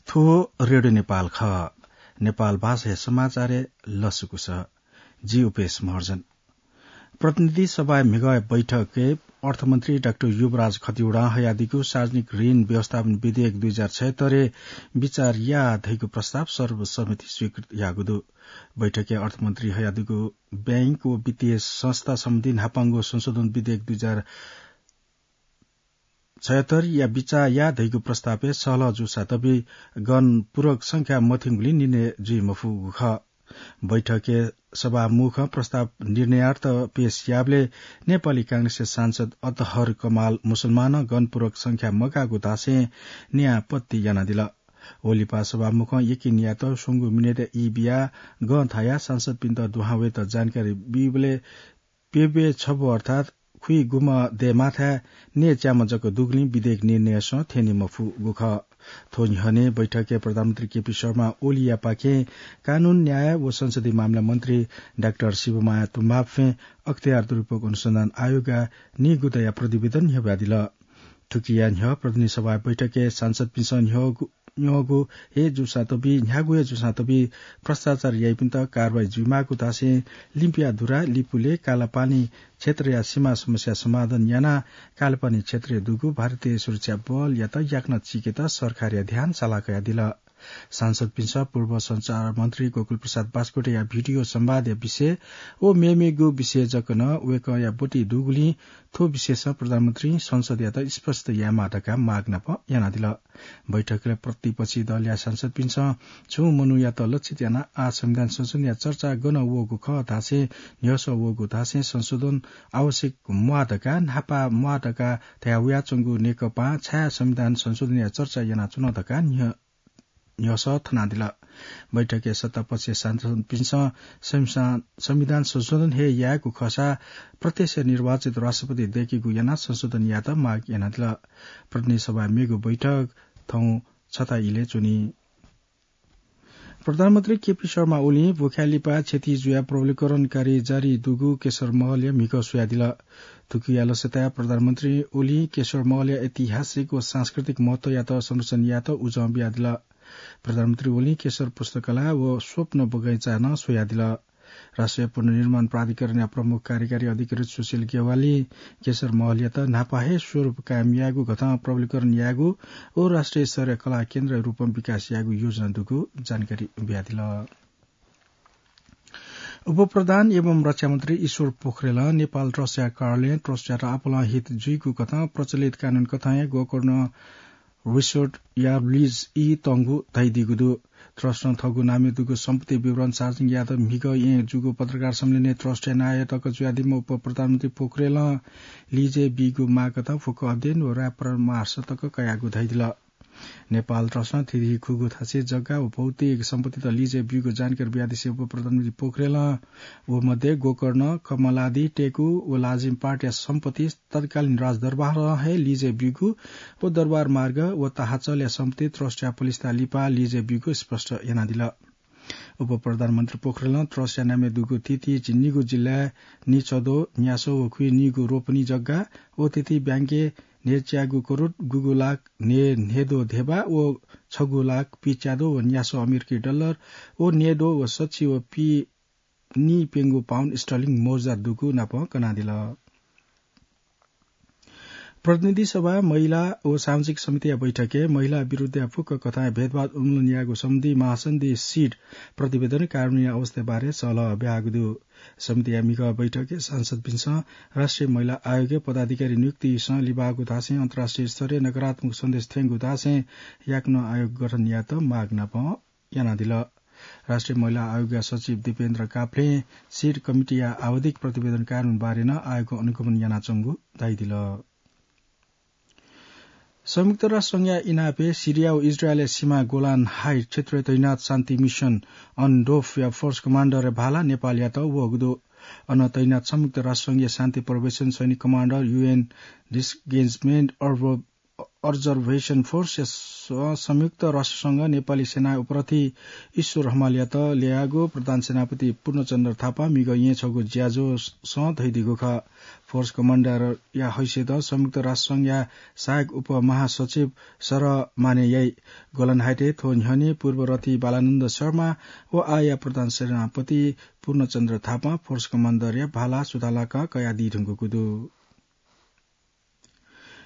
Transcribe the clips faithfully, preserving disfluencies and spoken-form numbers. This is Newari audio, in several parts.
थ्व रेडियो नेपाल खः। नेपाल भाषाया समाचारय् लसकुस। जि उपेश महर्जन। प्रतिनिधि सभाय् म्हिगः बैठकय् अर्थमन्त्री डाक्टर युवराज खतिवडां हयादीगु सार्वजनिक ऋण व्यवस्थापन विधेयक दुई हजार छयत्तरय् बिचाः या धइगु प्रस्ताव सर्वसम्मति स्वीकृत याःगु दु। बैठकय् अर्थमन्त्री हयादीगु बैंक व वित्तीय संस्था सम्बन्धी न्हापांगु संशोधन विधेयक दुई हजार छयत्तरया बिचाः या धइगु प्रस्तावय् सहलह जूसा तबि गणपूरक संख्या मथ्यंगुलिं निर्णय जुइ मफुगु खः। बैठकय् सभामुखं प्रस्ताव निर्णयार्थ पेश याःबलय् नेपाली कांग्रेसया सांसद अतहर कमाल मुसलमानं गणपूरक संख्या मगाःगु धासें न्याय आपत्ति यानादिल। वलिपा सभामुखं यकिन यात स्वंगू मिनेटया ई बियाः गं थायाः सांसदपिन्त दुहां वयेत जानकारी बीबलय् प्यब्वय् छब्व अर्थात् खुइगुम्ह दयेमाःथाय् नयेच्याम्ह जक दुगुलिं विधेयक निर्णयसं थ्यने मफुगु खः। थ्व न्ह्यःने बैठकय् प्रधानमन्त्री केपी शर्मा ओलीयापाखें कानून, न्याय व संसदीय मामला मन्त्री डाक्टर शिवमाया तुम्बाफें अख्तियार दुरुपयोग अनुसन्धान आयोगया नीगुदँया प्रतिवेदन न्ह्यब्वयादिल। थुकिया न्ह्यः प्रतिनिधि सभा बैठकय् सांसदपिन्सं न्ह्यःगु, न्ह्यःगु हे जूसां तबि, न्ह्यागु हे जूसां तबि भ्रष्टाचार याइपिन्त कारवाही जुइमाःगु धासें लिम्पिया धुरा, लिपुले, कालापानी क्षेत्रया सीमा समस्या समाधान यानाः कालापानी क्षेत्रय् दुगु भारतीय सुरक्षा बलयात याकनं चीकेत सरकारया ध्यान साला कयादिल। सांसदपिन्सं पूर्व सञ्चार मन्त्री गोकुल प्रसाद बास्कोटेया भिडियो संवादया विषय व मेमेगु विषय जक नं वय्कःया ब्वति दुगुलिं थ्व विषयसं प्रधानमन्त्रीं संसदयात स्पष्ट यायेमाः धकाः माग नाप यानादिल। बैठकय् प्रतिपक्षी दलया सांसदपिन्सं छुं मनूयात लक्षित यानाः आः संविधान संशोधनया चर्चा गन वःगु खः धासें, न्ह्यसः वःगु धासें संशोधन आवश्यक म्वाः धकाः, न्हापा म्वाः धकाः धयावयाच्वंगु नेकपां छाय् संविधान संशोधनया चर्चा यानाच्वन धकाः न्ह्य न्ह्यसः थनादिल। बैठकय् सत्तापक्षीय सांसदपिन्सं संविधान, संविधान संशोधन हे यायेगु खःसा प्रत्यक्ष निर्वाचित राष्ट्रपति दय्केगु यानाः संशोधन यायेत माग यानादिल। प्रतिनिधि सभाया मेगु बैठक थौं छता इलय् च्वनी। प्रधानमन्त्री केपी शर्मा ओलीं भुखाय् लिपा क्षति जुयाः प्रबलीकरण कार्य जारी दुगु केशर महलया म्हिगः स्वयादिल। थुकिया लसताय् प्रधानमन्त्री ओलीं केशर महलया ऐतिहासिक व सांस्कृतिक महत्वयात संरक्षण यायेत उजं बियादिल। प्रधानमन्त्री ओलीं केशर पुस्तकालय व स्वप्न बगैँचा नं स्वयादिल। राष्ट्रिय पुनर्निर्माण प्राधिकरणया प्रमुख कार्यकारी अधिकृत सुशील ज्ञवालीं केशर महलयात न्हापा हे स्वरूप कायम यायेगु, गथं प्रबलीकरण यायेगु व राष्ट्रिय स्तरया कला केन्द्रया रूपं विकास यायेगु योजना दुगु जानकारी बियादिल। उपप्रधान एवं रक्षामन्त्री ईश्वर पोखरेलं नेपाल ट्रस्टया कार्यालयं ट्रस्टयात आपालं हित जुइगु कथं प्रचलित कानून कथं हे गोकर्ण रिसोर्टया लिज ई तंगु धयादीगु दु। ट्रस्टं थःगु नामय् दुगु सम्पत्ति विवरण सार्वजनिक यायेत म्हिगः येँ जूगु पत्रकार सम्मेलनय् ट्रस्टया नायः तक जुयादीम्ह उपप्रधानमन्त्री पोखरेलं लिजय् बीगु माग कथं फुक्क अध्ययन व राय परामर्श तक कयागु धयादिल। नेपाल ट्रस्टं थीथी खुगू थासय् जग्गा व भौतिक सम्पत्तित लिजय् ब्यूगु जानकारी बियादिसें उपप्रधानमन्त्री पोखरेलं व मध्ये गोकर्ण, कमलादि, टेकु व लाजिम पाटया सम्पत्ति तत्कालीन राजदरबारं हे लिजय् ब्यूगु व दरबार मार्ग व ताहाचलया सम्पत्ति ट्रस्टया पलिस्था लिपा लिजय् ब्यूगु स्पष्ट यानादिल। उपप्रधानमन्त्री पोखरेलं ट्रस्टया नामय् दुगु थीथी निगू जिल्लाय् निचदो, न्यासो व खुइनिगू रोपनी जग्गा व थीथी ब्याङ्कय् न्हेच्यागू करोड गुगू लाख न्हे, न्हेदो धेबा व छगू लाख पिच्यादो व न्यासो अमेरिकी डलर व न्हेदो व सच्छि व पि नीप्यंगू पाउन्ड स्टर्लिङ मौजा दुगु नाप कनादिल। प्रतिनिधि सभा महिला व सामाजिक समितिया बैठकय् महिला विरुद्धया फुक्क कथंया भेदभाव उन्मूलन यायेगु सम्बन्धी महासन्धि सिट प्रतिवेदन कार्यान्वयन अवस्था बारे सहलह ब्याहागु दु। समितिया म्हिगः बैठकय् सांसदपिन्सं राष्ट्रिय महिला आयोगय् पदाधिकारी नियुक्तिसं लिबाःगु धासें अन्तर्राष्ट्रिय स्तरय् नकारात्मक सन्देश थ्यंगु धासें याकनं आयोग गठन यायेत माग नाप यानादिल। राष्ट्रिय महिला आयोगया सचिव दीपेन्द्र काफ्लें सिट कमिटीया आवधिक प्रतिवेदन कार्यान्वयन बारे नं आयोगं अनुगमन यानाच्वंगु धयादिल। संयुक्त राष्ट्र संघया इनापय् सिरिया व इजरायलया सीमा गोलान हाइट क्षेत्रय् तैनात शान्ति मिसन अनडोफया फोर्स कमान्डरया भाला नेपालयात वःगु दु। अन तैनात संयुक्त राष्ट्र संघया शान्ति प्रवेशन सैनिक कमान्डर युएन डिसगेन्जमेन्ट अर्ब Observation Force या स-, संयुक्त राष्ट्रसंघ नेपाली सेना उपरथी ईश्वर हमालयात ल्याःगु प्रधान सेनापति पूर्णचन्द्र थापां मिगः येँ छगू ज्याझ्वलय् धयादीगु खः। Force Commander या हैसियतं संयुक्त राष्ट्रसंघया सहायक उपमहासचिव सरह मानेयाइ। गोलनहाइटय् थ्व न्ह्यःने पूर्वरथी बालानन्द शर्मा व आःया प्रधान सेनापति पूर्णचन्द्र थापां Force Commander या भाला सुथालाक कयादी धुंकूगु दु।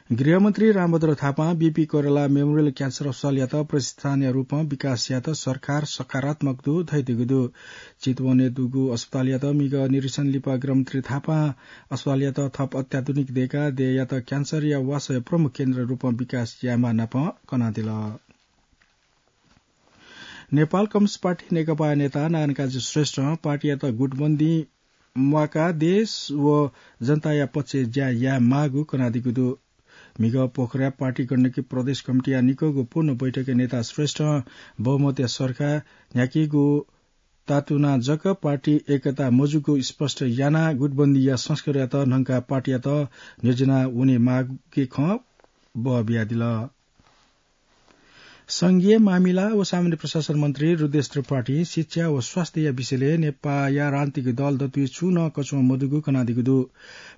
गृहमन्त्री रामभद्र थापां बीपी कोइराला Memorial Cancer अस्पतालयात प्रतिष्ठानया रूपं विकास यायेत सरकार सकारात्मक दु धयादीगु दु। चितवनय् दुगु अस्पतालयात मिगः निरीक्षण लिपा गृहमन्त्री थापां अस्पतालयात थप अत्याधुनिक दय्काः देय्‌यात क्यान्सरया वासःया प्रमुख केन्द्र रूपं विकास यायेमाः नापं कनादिल। नेपाल कम्युनिस्ट पार्टी नेकपाया नेता नारायणकाजी श्रेष्ठं पार्टीयात गुटबन्दी म्वाकाः देश व जनताया पक्षय् ज्या यायेमाःगु कनादीगु दु। मिगः पोखराय् पार्टी गण्डकी प्रदेश कमिटीया निक्वःगु पूर्ण बैठकय् नेता श्रेष्ठं बहुमतया सरकार न्ह्याकीगु तातुनाः जक पार्टी एकता मजूगु स्पष्ट यानाः गुटबन्दीया संस्कारयात न्हंकाः पार्टीयात न्ह्यज्याना वनेमाःगु खँ बः बियादिल। संघीय मामिला व सामान्य प्रशासन मन्त्री रुद्रेश त्रिपाठीं शिक्षा व स्वास्थ्यया विषयलय् नेपाःया राजनीतिक दल दतुइ छुं नं कछुं मदुगु कनादीगु दु।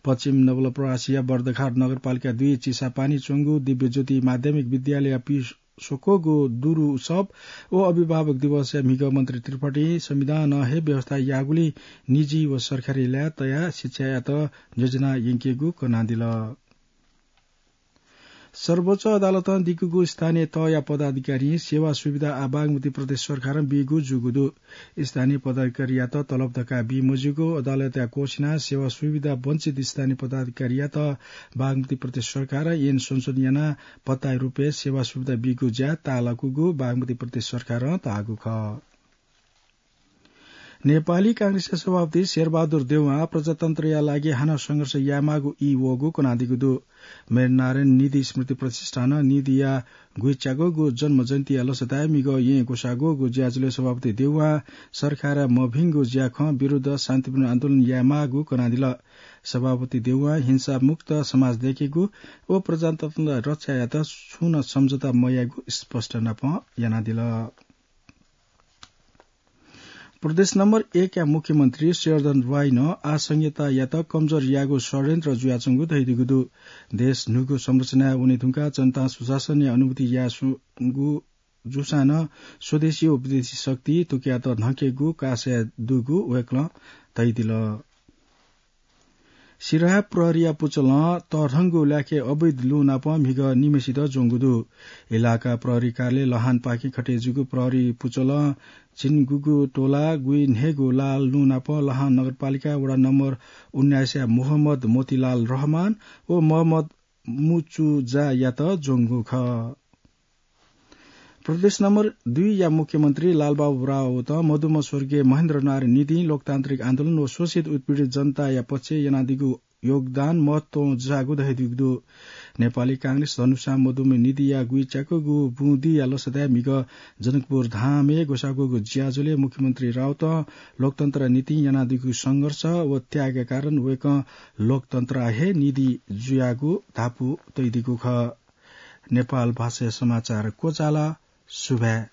पश्चिम नवलपरासीया बर्दघाट नगरपालिका दुई चिसापानी च्वंगु दिव्यज्योति माध्यमिक विद्यालयया पि स्वक्वःगु दुरु उत्सव व अभिभावक दिवसय् मिगः मन्त्री त्रिपाठीं संविधानं हे व्यवस्था याःगुलिं निजी व सरकारी ल्याः तयाः शिक्षायात न्ह्यज्याना यंकेगु कनादिल। सर्वोच्च अदालतं दिकूगु स्थानीय तहया पदाधिकारीं सेवा सुविधा आः बागमती प्रदेश सरकारं बीगु जूगु दु। स्थानीय पदाधिकारीयात तलब धकाः बी मज्यूगु अदालतया क्वःछिनाः सेवा सुविधा वञ्चित स्थानीय पदाधिकारीयात बागमती प्रदेश सरकारं ऐन संशोधन यानाः पत्ताया रूपय् सेवा सुविधा बीगु ज्या ताःलाकूगु बागमती प्रदेश सरकारं धाःगु खः। नेपाली कांग्रेसया सभापति शेरबहादुर देउवां प्रजातन्त्रया लागि हानं संघर्ष यायेमाःगु ई वःगु कनादीगु दु। वीरनारायण निधि स्मृति प्रतिष्ठानं निधिया गुइच्याकःगु जन्म जयन्तीया लसताय् मिगः येँ ग्वसाः ग्वःगु ज्याझ्वलय् सभापति देउवां सरकारया मभिंगु ज्याखँ विरुद्ध शान्तिपूर्ण आन्दोलन यायेमाःगु कनादिल। सभापति देउवां हिंसामुक्त समाज दय्केगु व प्रजातन्त्र रक्षायात छुं नं सम्झौता मयायेगु स्पष्ट नापं यानादिल। प्रदेश नम्बर एक या मुख्यमन्त्री शेरधन राईनं आः संघीयतायात कमजोर यायेगु षड्यन्त्र जुयाच्वंगु धयादीगु दु। देश न्हूगु संरचनाय् वने धुंकाः जनतां सुशासनया अनुभूति याये स्वंगु जूसां नं स्वदेशी व विदेशी शक्ति थुकियात न्हंकेगु कासाय् दुगु वय्कलं धयादिल। सिराहा प्रहरीया पुचलं तःधंगु ल्याखय् अवैध लुँ नाप म्हिगः निम्हेसित ज्वंगु दु। इलाका प्रहरी कार्यालय लहानपाखें खटे जूगु प्रहरी पुचलं झिंगुगु तोला गुइन्हय्गु लाल लुँ नाप लहान नगरपालिका वडा नम्बर उन्नाइसया मोहम्मद मोतीलाल रहमान व मोहम्मद मुचुजायात ज्वंगु खः। प्रदेश नम्बर दुई या मुख्यमन्त्री लालबाबु राउतं मदुम्ह स्वर्गीय महेन्द्र नारायण निधिं लोकतान्त्रिक आन्दोलन व शोषित उत्पीडित जनताया पक्षय् यानादीगु योगदान महत्वं जाःगु धयादीगु दु। नेपाली कांग्रेस धनुषा मदुम्ह निधिया गुइच्याकःगु बुँदिया लसताय् म्हिगः जनकपुर धामय् ग्वसाः ग्वःगु ज्याझ्वलय् मुख्यमन्त्री राउतं लोकतन्त्रया निंतिं यानादीगु संघर्ष व त्यागया कारण वय्कः लोकतन्त्रया हे निधि जुयागु धापू तयादीगु खः। नेपाल भाषाया समाचार क्वचाल। सुभाय्।